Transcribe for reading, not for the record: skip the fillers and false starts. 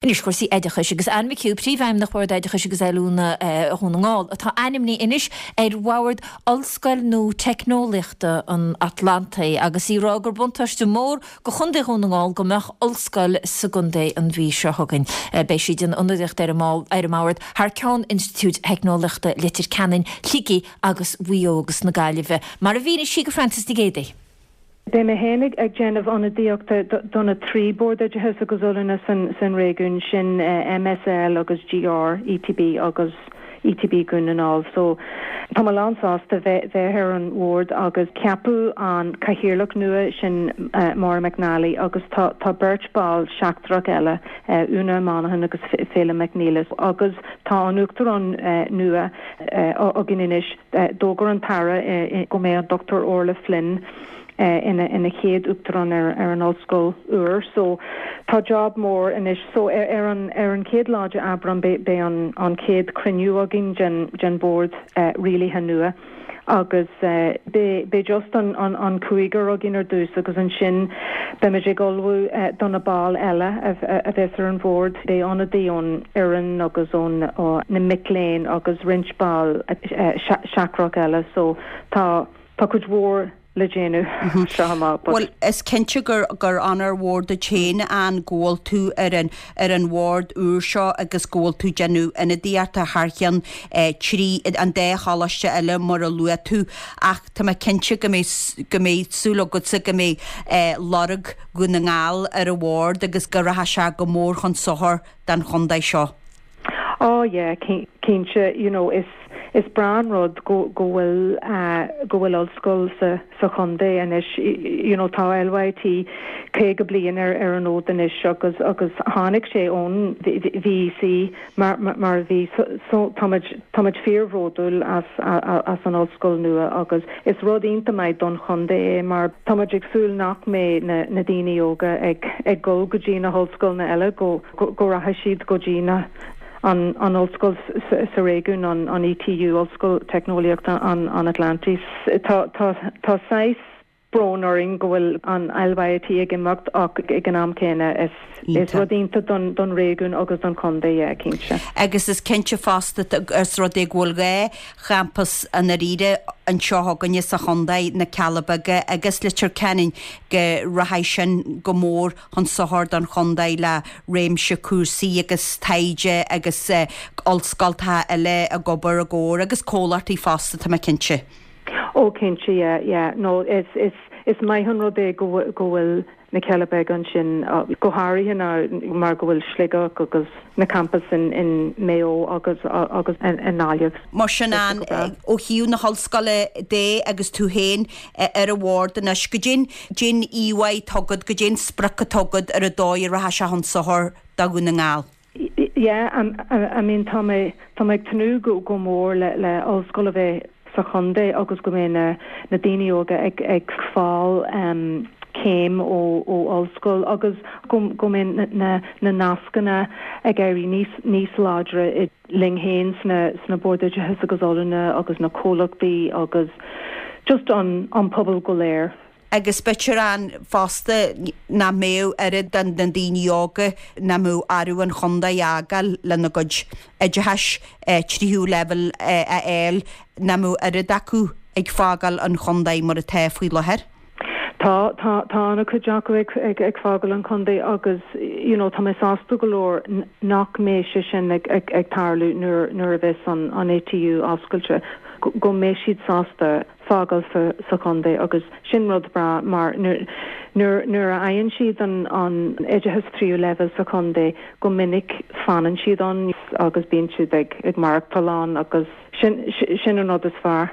Anois cúrsaí oideachais agus Anne McHugh, Príomhfheidhmeannach Bhord Oideachais agus Oiliúna Dhún na nGall, atá ainmnithe anois ar bhord Ollscoil nua Teicneolaíochta an Atlantaigh agus í ag rá gur buntáiste mór do Chontae Dhún na nGall go mbeadh ollscoil sa gcontae an mhí seo chugainn. Beidh sí ag déanamh ionadaíochta ar an mbord thar ceann Institiúid Theicneolaíochta Leitir Ceanainn, Shligigh agus Mhaigh Eo agus na Gaillimhe, mar a mhínigh sí do Frances Nic Géadaigh. Beidh mé féin ag déanamh ionadaíochta do na 3 Bord Oideachais agus Oiliúna san réigiún, sin MSL agus GR, ETB agus ETB Dhún na nGall. So, tá mé lán sásta bheith ar an bhord agus ceapadh an cathaoirleach nua, sin Maura McNally agus tá tá beirt ball seachtrach eile, Úna Monaghan agus Féilim McNeela agus tá an Uachtarán nua againn anois. D'fhógair an tAire go mbeidh an Dr Orla Flynn ina chéad Uachtarán ar an ollscoil úr. So tá job mór anois. So ar an ar an chéad lá de Aibreán beidh an chéad chruinniú againn den bhord rialaithe nua agus beidh just an cúigear againn ar dtús agus ansin beimid ag ullmhú do na baill eile a bheas ar an bhord. Beidh ionadaí ón fhoireann agus ó na mic léinn agus roinnt ball seachtrach eile so tá tá cuid mhór le déanamh seo amach but. Bhuel, is cinnte gur gur onóir mhór duit féin Anne go bhfuil tú ar an ar an bhord úr seo agus go bhfuil tú ag déanamh ionadaíochta thar cheann trí an dá choláiste eile mar a luaigh tú ach tá mé cinnte go mbeidh go mbeidh súil agatsa go mbeidh lorg Dhún na nGall ar an bhord agus go rachaidh sé go mór chun sochair don chontae seo. Oh yeah, cinnte, you know, is is breá an rud go go bhfuil go bhfuil ollscoil sa sa chontae anois, you know, tá LYIT 50 bliain ar ar an fhód anois agus agus tháinig sé ón VEC mar mar a bhí so táimid táimid fíorbhródúil as as an ollscoil nua agus is rud iontach maith don chontae é mar táimid ag súil nach mbeidh na na daoine óga ag ag dul go dtí na hollscoileanna eile go go rachaidh siad go dtí na an an ollscoil sa réigiún an an ETU Ollscoil Teicneolaíochta an an Atlantaigh. Tá tá tá saghas brón orainn go bhfuil an LYIT ag imeacht ach ag an am céanna is is rud iontach don don réigiún agus don chontae, yeah, cinnte. Agus is cinnte fosta os rud é go bhfuil dhá champas i ndáiríre anseo againne sa chontae, na Cealla Beaga agus Leitir Ceanainn, go rachaidh sin go mór chun sochair don chontae le réimse cúrsaí agus taighde agus ollscoltacha eile ag obair i gcomhar agus comhlachtaí fosta, tá mé cinnte. Ó cinnte, yeah, yeah. No, is, is, is maith an rud é go bhfuil, go bhfuil na Cealla Beaga ansin, go háirithe ná mar go bhfuil Sligeach agus na campais in, in Maigh Eo agus, agus i nGaillimh. Mar sin Anne, ó thaobh na hollscoile de agus tú féin ar an bhord anois, goidé an, goidé an íomhá atá agat, goidé an sprioc atá agat ar an dóigh a rachaidh sé chun sochair do Dhún na nGall. Yeah, I mean tá mé, tá mé ag tnúth go, go mór le, le ollscoil a bheith sa chontae agus go mbeidh na, na daoine óga ag, ag fáil céim ó, ó ollscoil agus go, go mbeidh na, na, na nascanna ag éirí níos, níos láidre i, linn féin sna, sna Boird Oideachais agus Oiliúna agus na comhlachtaí agus just an, an pobal go léir. Agus b'fhéidir Anne fosta nach mbeadh oiread de na daoine óga nach mbeadh orthu an chontae a fhágáil lena gcuid oideachais tríú leibhéal a fháil, nach mbeadh oiread acu ag fágáil an chontae mar atá faoi láthair. Tá, tá, tá an-chuid acu ag, ag, ag fágáil an chontae agus you know tá mé sásta go leor nach mbeidh sé sin ag, ag, ag tarlú nuair, nuair a bheas an, an ATU oscailte, go, go mbeidh siad sásta fágáil sa chontae agus sin rud breá mar nuair nuair a fhaigheann siad an an oideachas tríú leibhéal sa chontae go minic fanann siad ann agus bíonn siad ag ag maireachtáil ann agus sin sin an rud is fearr.